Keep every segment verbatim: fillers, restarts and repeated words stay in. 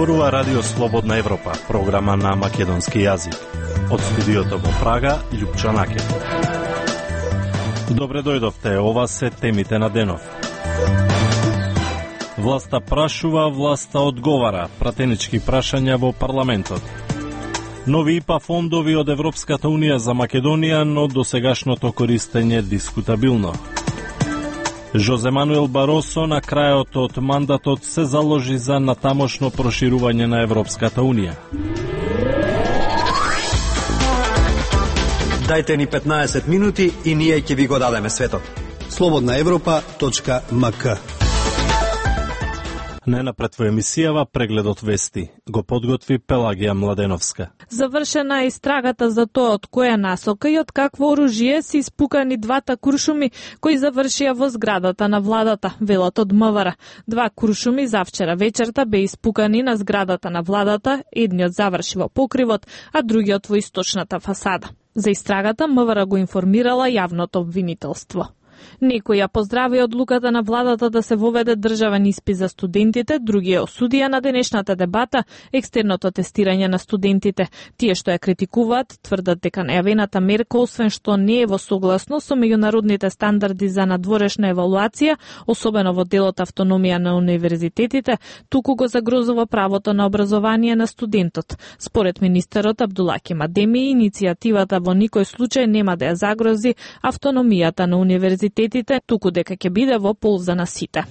Зборува Радио Слободна Европа, програма на македонски јазик. Од студиото во Прага, Љупчо Накев. Добре дојдовте, ова се темите на денов. Власта прашува, власта одговара, пратенички прашања во парламентот. Нови ИПА фондови од Европската Унија за Македонија, но досегашното користење дискутабилно. Жозе Мануел Баросо на крајот од мандатот се заложи за натамошно проширување на Европската Унија. Дајте ни петнаесет минути и ние ќе ви го дадеме светот. слободна европа точка ем ка. Најнапред во емисијава прегледот вести го подготви Пелагија Младеновска. Завршена е истрагата за тоа од која насока и од какво оружје се испукани двата куршуми кои завршија во зградата на владата, велат од МВР. Два куршуми завчера вечерта бе испукани на зградата на владата, едниот заврши во покривот, а другиот во источната фасада. За истрагата МВР го информирала јавното обвинителство. Некои ја поздрави одлуката на владата да се воведе државен испит за студентите, други ја осудија на денешната дебата екстерното тестирање на студентите. Тие што ја критикуваат тврдат дека најавената мерка, освен што не е во согласно со меѓународните стандарди за надворешна евалуација, особено во делот автономија на универзитетите, туку го загрозува правото на образование на студентот. Според министерот Абдулаки Мадеми, иницијативата во никој случај нема да ја загрози автономијата на универзитетите, туку дека ќе биде во полза на сите.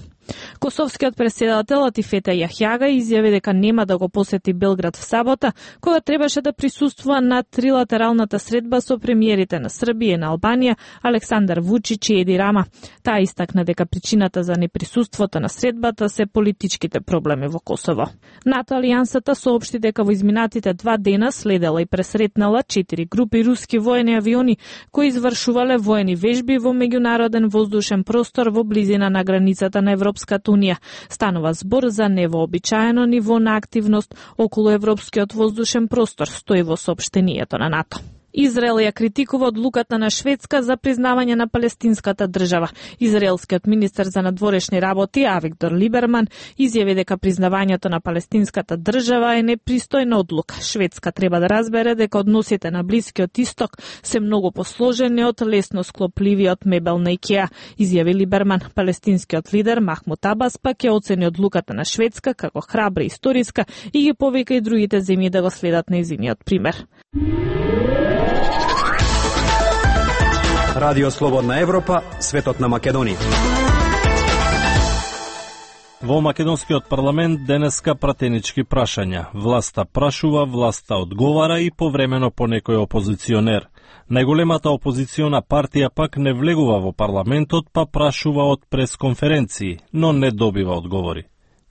Косовскиот преседател Атифета Јахјага изјави дека нема да го посети Белград в сабота, кога требаше да присуствува на трилатералната средба со премиерите на Србија и на Албанија, Александар Вучич и Еди Рама. Таа истакна дека причината за неприсуството на средбата се политичките проблеми во Косово. НАТО алијансата соопшти дека во изминатите два дена следела и пресретнала четири групи руски воени авиони кои извршувале воени вежби во меѓународен воздушен простор во близина на границата на Европската Унија. Станува збор за невообичаено ниво на активност околу европскиот воздушен простор, стои во соопштението на НАТО. Израел ја критикува одлуката на Шведска за признавање на палестинската држава. Израелскиот министер за надворешни работи Авигдор Либерман изјави дека признавањето на палестинската држава е непристојна одлука. Шведска треба да разбере дека односите на Блискиот исток се многу посложени од лесно склопливиот мебел на Икеа, изјави Либерман. Палестинскиот лидер Махмуд Абас пак ја оцени одлуката на Шведска како храбра и историска и ги повика и другите земји да го следат нејзиниот пример. Радио Слободна Европа, светот на Македонија. Во македонскиот парламент денеска пратенички прашања. Власта прашува, власта одговара и повремено по некој опозиционер. Најголемата опозициона партија пак не влегува во парламентот, па прашува од пресконференции, но не добива одговори.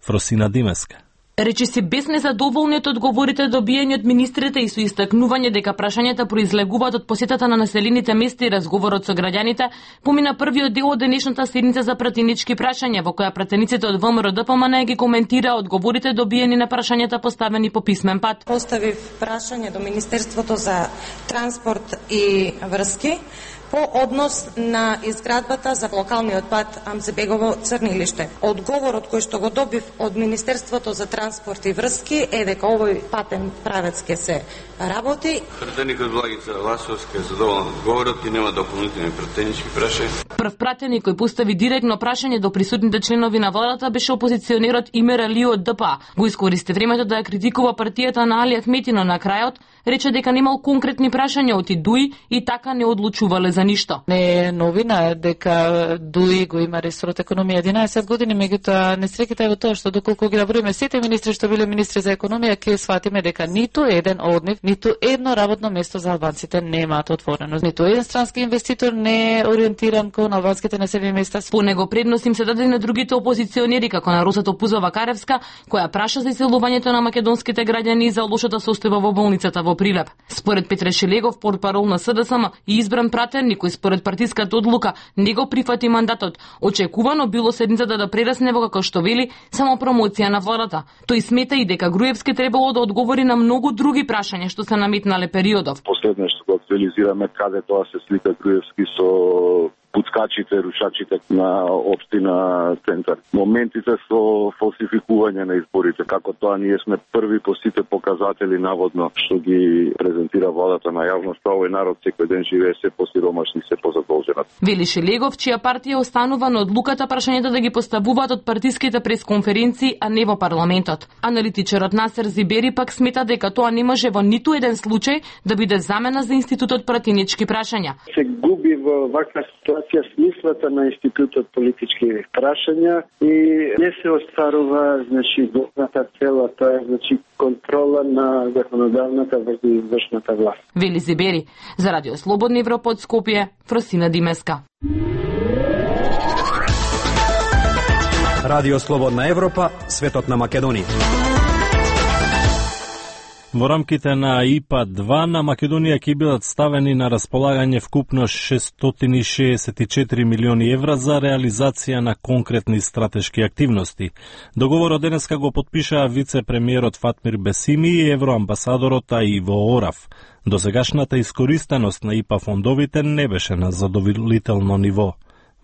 Фросина Димеска. Речи се без незадоволни од одговорите добиени од министрите и со истакнување дека прашањата произлегуваат од посетата на населените места и разговорот со граѓаните, помина првиот дел од денешната седница за пратенички прашања, во која пратениците од ВМРО Д П М Н ги коментира одговорите добиени на прашањата поставени по писмен пат. Поставив прашање до Министерството за транспорт и врски по однос на изградбата за локалниот пат Амзебегово Црнилиште. Одговорот кој што го добив од Министерството за транспорт и врски е дека овој патен правец ќе се работи. Пратеникот Благица Ласовска е задоволна од одговорот и нема дополнителни пратенички прашања. Прв пратеник кој постави директно прашање до присутните членови на владата беше опозиционерот Имер Али од Д П А. Го искористи времето да ја критикува партијата на Али Ахметино на крајот, рече дека немал конкретни прашања од ИДУИ и така не одлучувале за ништо. Не е новина дека ДУИ го има ресорот економија единаесет години, меѓутоа несреќата е во тоа што доколку ги наброиме сите министри што биле министри за економија, ќе сватиме дека ниту еден од нив, ниту едно работно место за албанците немаат отворено. Ниту еден странски инвеститор не е ориентиран кон албанските населени места. По него предност им се даде на другите опозиционери, како на Росато Пузова Каревска, која праша за иселувањето на македонските граѓани и за лошата состојба во болницата во Прилеп. Според Петре Шелегов, портпарол на С Д С М и избран пратеник кој според партиската одлука не го прифати мандатот, очекувано било седницата да прерасне во, како што вели, само промоција на владата. Тој смета и дека Груевски требало да одговори на многу други прашања што се наметнале периодов. Последно што го актуализираме каде тоа се слика Груевски со пуцкачите, рушачите на општина Центар. Моментите со фалсификување на изборите, како тоа ние сме први по сите показатели наводно што ги презентира владата на јавноста, овој народ секој ден живее се посиромашни, се позадолжен. Вели Шелегов, чија партија останува на одлуката прашањата да ги поставуваат од партиските пресконференции, а не во парламентот. Аналитичарот Насер Зибери пак смета дека тоа не може во ниту еден случај да биде замена за институтот пратенички прашања. Се губи во ваква ситуација смислата на институтот политички прашања и не се остварува, значи, главната цела, тоа е, значи, контрола на законодавната врзу извршната власт. Вели Зибери. За Радио Слободна Европа од Скопје, Фросина Димеска. Радио Слободна Европа, светот на Македонија. Во рамките на И П А два на Македонија ќе бидат ставени на располагање вкупно шестстотини и шеесет и четири милиони евра за реализација на конкретни стратешки активности. Договорот денеска го потпишаа вице-премиерот Фатмир Бесими и евроамбасадорот Иво Орав. Досегашната искористеност на И П А фондовите не беше на задоволително ниво.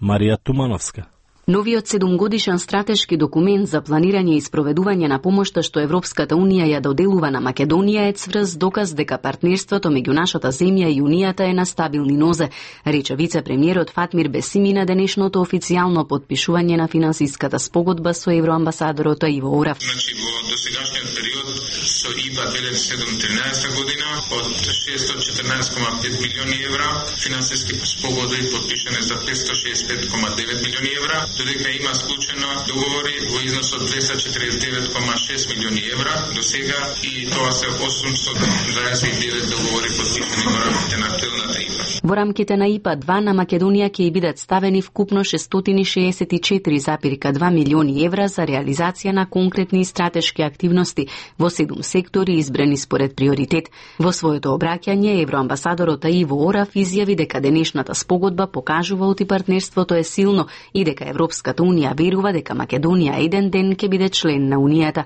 Марија Тумановска. Новиот седумгодишен стратешки документ за планирање и спроведување на помошта што Европската Унија ја доделува на Македонија е цврст доказ дека партнерството меѓу нашата земја и Унијата е на стабилни нозе, рече вице-премиерот Фатмир Бесими на денешното официјално потпишување на финансиската спогодба со евроамбасадорот Иво Орав. Значи, во досегашниот период со И П А две илјади и седумнаесета година од шестстотини и четрнаесет кома пет милиони евра, финансиски спогодби потпишани за петстотини и шеесет и пет кома девет милиони евра, додека има склучено договори во износ од двеста четиридесет и девет кома шест милиони евра до сега и тоа се осумстотини дваесет и девет договори потпишани во рамките на актуелната И П А. Во рамките на И П А два на Македонија ќе бидат ставени вкупно шестстотини и шеесет и четири зарез два милиони евра за реализација на конкретни и стратешки активности во седум сектори избрани според приоритет. Во своето обраќање евроамбасадорот Иво Орав изјави дека денешната спогодба покажува оти партнерството е силно и дека Европската Унија верува дека Македонија еден ден ќе биде член на Унијата.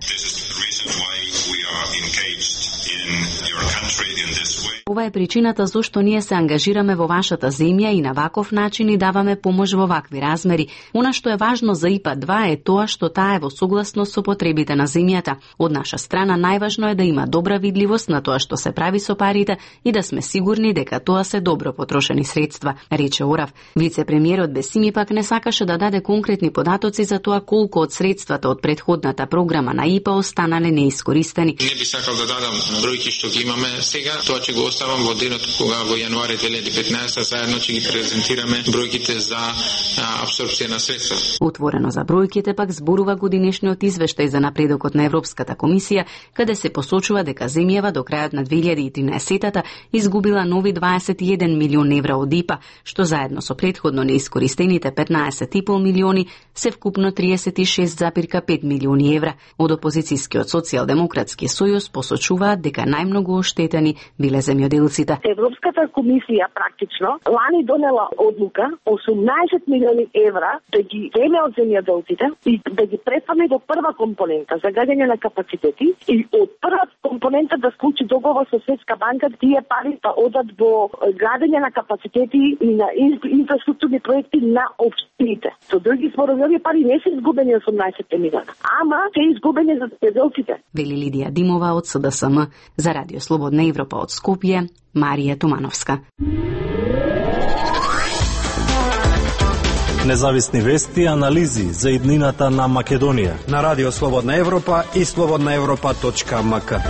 Ова е причината зошто ние се ангажираме во вашата земја и на ваков начин и даваме помош во вакви размери. Она што е важно за И П А два е тоа што таа е во согласност со потребите на земјата. Од наша страна најважно е да има добра видливост на тоа што се прави со парите и да сме сигурни дека тоа се добро потрошени средства, рече Орав. Вице-премиерот Бесими пак не сакаше да даде конкретни податоци за тоа колку од средствата од претходната програма на И П А останале неискористени. Не би сакал да дадам бројки што ги имаме сега, тоа ќе го оставам во денот кога во јануари две илјади и петнаесета заедно ќе ги презентираме бројките за апсорпција на средства. Отворено за бројките пак зборува годинешниот извештај за напредокот на Европската комисија, каде се посочува дека земјава до крајот на две илјади и тринаесетата изгубила нови дваесет и еден милион евра од И П А, што заедно со претходно неискористените петнаесет и пол милиони се вкупно триесет и шест зарез пет милиони евра. Од опозицијскиот социјалдемократски сојуз посочуваат дека најмногу оштетени биле земјоделците. Европската комисија практично лани донела одлука осумнаесет милиони евра да ги земе од земјоделците и да ги префрли до прва компонента за градење на капацитети и од прва компонента да склучи договор со Светска банка тие пари да одат во градење на капацитети и на инфраструктурни проекти на општините. Со други зборови, овие пари не се изгубени осумнаесет милиона, ама се изгубени за земјоделците. Вели Лидија Димова од С Д С М за Радио Слободна Европа од Скопје, Марија Тумановска. Независни вести и анализи за иднината на Македонија на Радио Слободна Европа и слободна европа точка м к.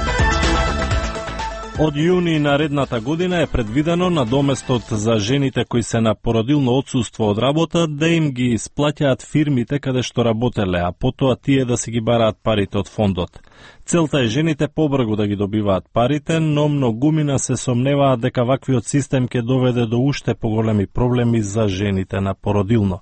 Од јуни наредната година е предвидено на доместот за жените кои се на породилно отсуство од работа да им ги исплаќаат фирмите каде што работеле, а потоа тие да си ги бараат парите од фондот. Целта е жените побрзо да ги добиваат парите, но многумина се сомневаат дека ваквиот систем ќе доведе до уште поголеми проблеми за жените на породилно.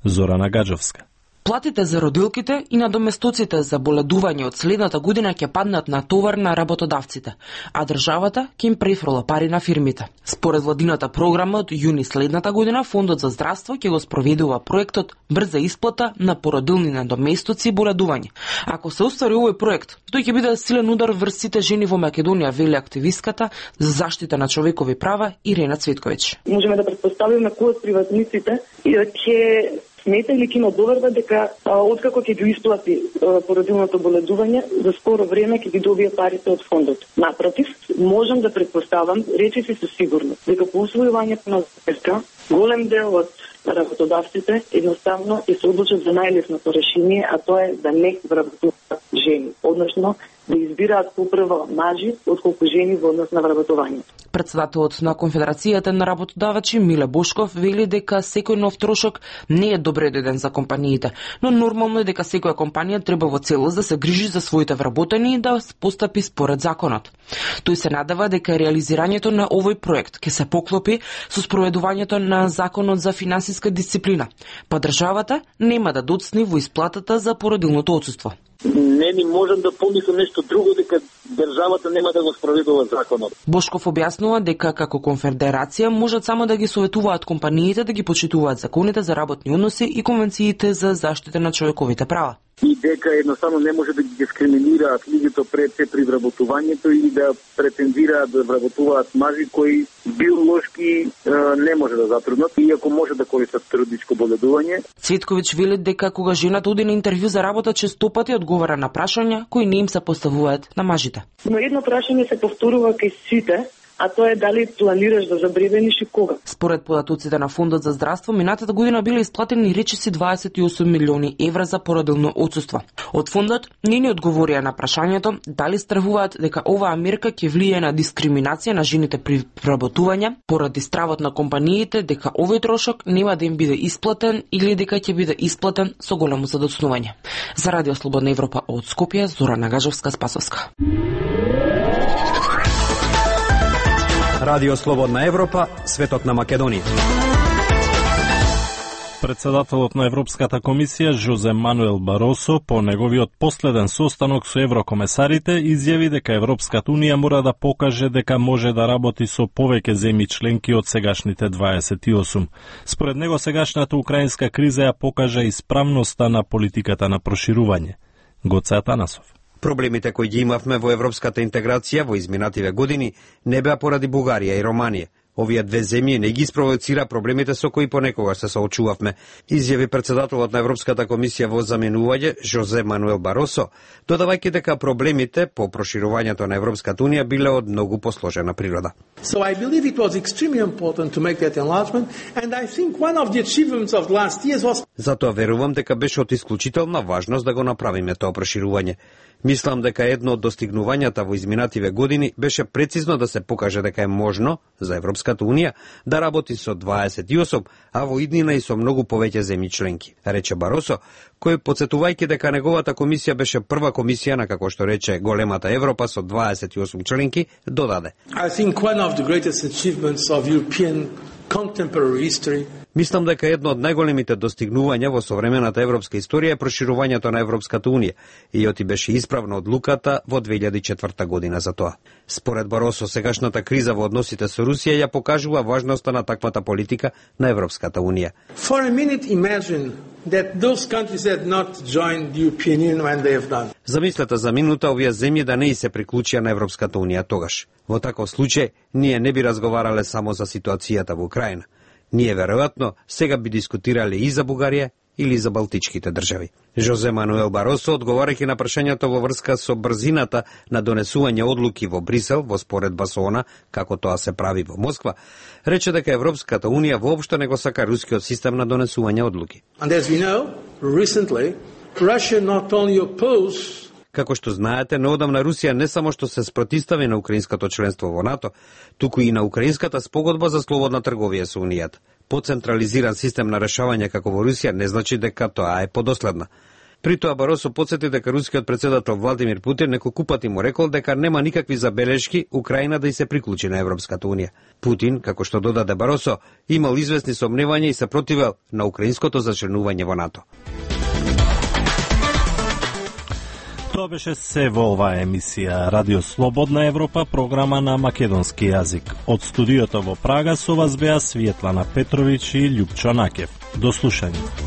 Зорана Гаджовска. Платите за родилките и надоместоците за боледување од следната година ќе паднат на товар на работодавците, а државата ќе им префрла пари на фирмите. Според владината програма од јуни следната година, Фондот за здравство ќе го спроведува проектот брза исплата на породилни надоместоци и боледување. Ако се оствари овој проект, тој ќе биде силен удар врз сите жени во Македонија, вели активистката за заштита на човекови права Ирена Цветковиќ. Можеме да претпоставиме кои од приватниците ќе смета или ќе има доверба дека а, откако ќе ги исплати а, породилното боледување, за скоро време ќе ги добие парите од фондот. Напротив, можам да претпоставам, речиси со сигурност, дека по усвојувањето на ЗПСК, голем дел од работодавците едноставно ќе се одлучат за најлесното решение, а тоа е да не вработуваат жени, односно да избираат попрво мажи отколку жени во однос на вработување. Председателот на Конфедерацијата на работодавачи Миле Бошков вели дека секој нов трошок не е добре дојден за компаниите, но нормално е дека секоја компанија треба во целост да се грижи за своите вработени и да постапи според законот. Тој се надава дека реализирањето на овој проект ќе се поклопи со спроведувањето на законот за финансиска дисциплина, па државата нема да доцни во исплатата за породилното отсуство. Не ни можам да помислам нешто друго дека државата нема да го спроведува законот. Бошков објаснува дека како конфедерација можат само да ги советуваат компаниите да ги почитуваат законите за работни односи и конвенциите за заштита на човековите права. И дека едноставно не може да ги дискриминираат луѓето пред се при вработувањето или да претендираат да вработуваат мажи кои биолошки е, не може да затруднат, иако може да користат трудничко боледување. Цветковиќ вели дека кога жената оди на интервју за работа, честопати одговара на прашања кои не им се поставуваат на мажите. Но едно прашање се повторува кај сите, а тоа е дали планираш да забремениш и кога. Според податоците на Фондот за здравство, минатата година биле исплатени речиси дваесет и осум милиони евра за породилно отсуство. Од фондот не ни одговорија на прашањето дали стравуваат дека оваа мерка ќе влијае на дискриминација на жените при вработување, поради стравот на компаниите дека овој трошок нема да им биде исплатен или дека ќе биде исплатен со големо задоцнување. За Радио Слободна Европа од Скопје, Зорана Гажовска-Спасовска. Радио Слободна Европа, светот на Македонија. Председателот на Европската комисија Жозе Мануел Баросо по неговиот последен состанок со еврокомесарите изјави дека Европската унија мора да покаже дека може да работи со повеќе земји членки од сегашните дваесет и осум. Според него сегашната украинска криза ја покажа исправноста на политиката на проширување. Гоце Атанасов. Проблемите кои ги имавме во европската интеграција во изминативе години не беа поради Бугарија и Романија. Овие две земји не ги спровоцира проблемите со кои понекогаш се соочувавме, изјави председателот на Европската комисија во заменување Жозе Мануел Баросо, додавајќи дека проблемите по проширувањето на Европската унија биле од многу посложена природа. So I believe it was extremely important to make that enlargement, and I think one of the achievements of the last years was... Затоа верувам дека беше од исклучителна важност да го направиме тоа проширување. Мислам дека едно од достигнувањата во изминативе години беше прецизно да се покаже дека е можно за Европската унија да работи со дваесет и осум, а во иднина и со многу повеќе земји членки, рече Баросо, кој подсетувајќи дека неговата комисија беше прва комисија на, како што рече, големата Европа со дваесет и осум членки, додаде. I think one of the greatest achievements of European contemporary history. Мислам дека едно од најголемите достигнувања во современата европска историја е проширувањето на Европската унија и оти беше исправна одлуката во две илјади и четврта година за тоа. Според Баросо, сегашната криза во односите со Русија ја покажува важноста на таквата политика на Европската унија. For a minute imagine that those countries had not joined the European Union when they have done. Замислете за минута овие земји да не и се приклучија на Европската унија тогаш. Во таков случај ние не би разговарале само за ситуацијата во Украина. Ние веројатно сега би дискутирале и за Бугарија или за балтичките држави. Жозе Мануел Баросо, одговарајќи на прашањето во врска со брзината на донесување одлуки во Брисел во споредба со она како тоа се прави во Москва, рече дека Европската унија воопшто не го сака рускиот систем на донесување одлуки. And as we know, recently Russia not only opposed Како што знаете, неодамна Русија не само што се спротивстави на украинското членство во НАТО, туку и на украинската спогодба за слободна трговија со Унијата. Поцентрализиран систем на решавање како во Русија не значи дека тоа е подоследна. При тоа Баросо потсети дека рускиот председател Владимир Путин неколку пати му рекол дека нема никакви забелешки Украина да и се приклучи на Европската унија. Путин, како што додаде Баросо, имал известни сомневања и се противел на украинското зачленување во НАТО. Тоа беше се во оваа емисија Радио Слободна Европа, програма на македонски јазик. Од студиото во Прага со вас беа Светлана Петровиќ и Љупчо Накев. До слушање.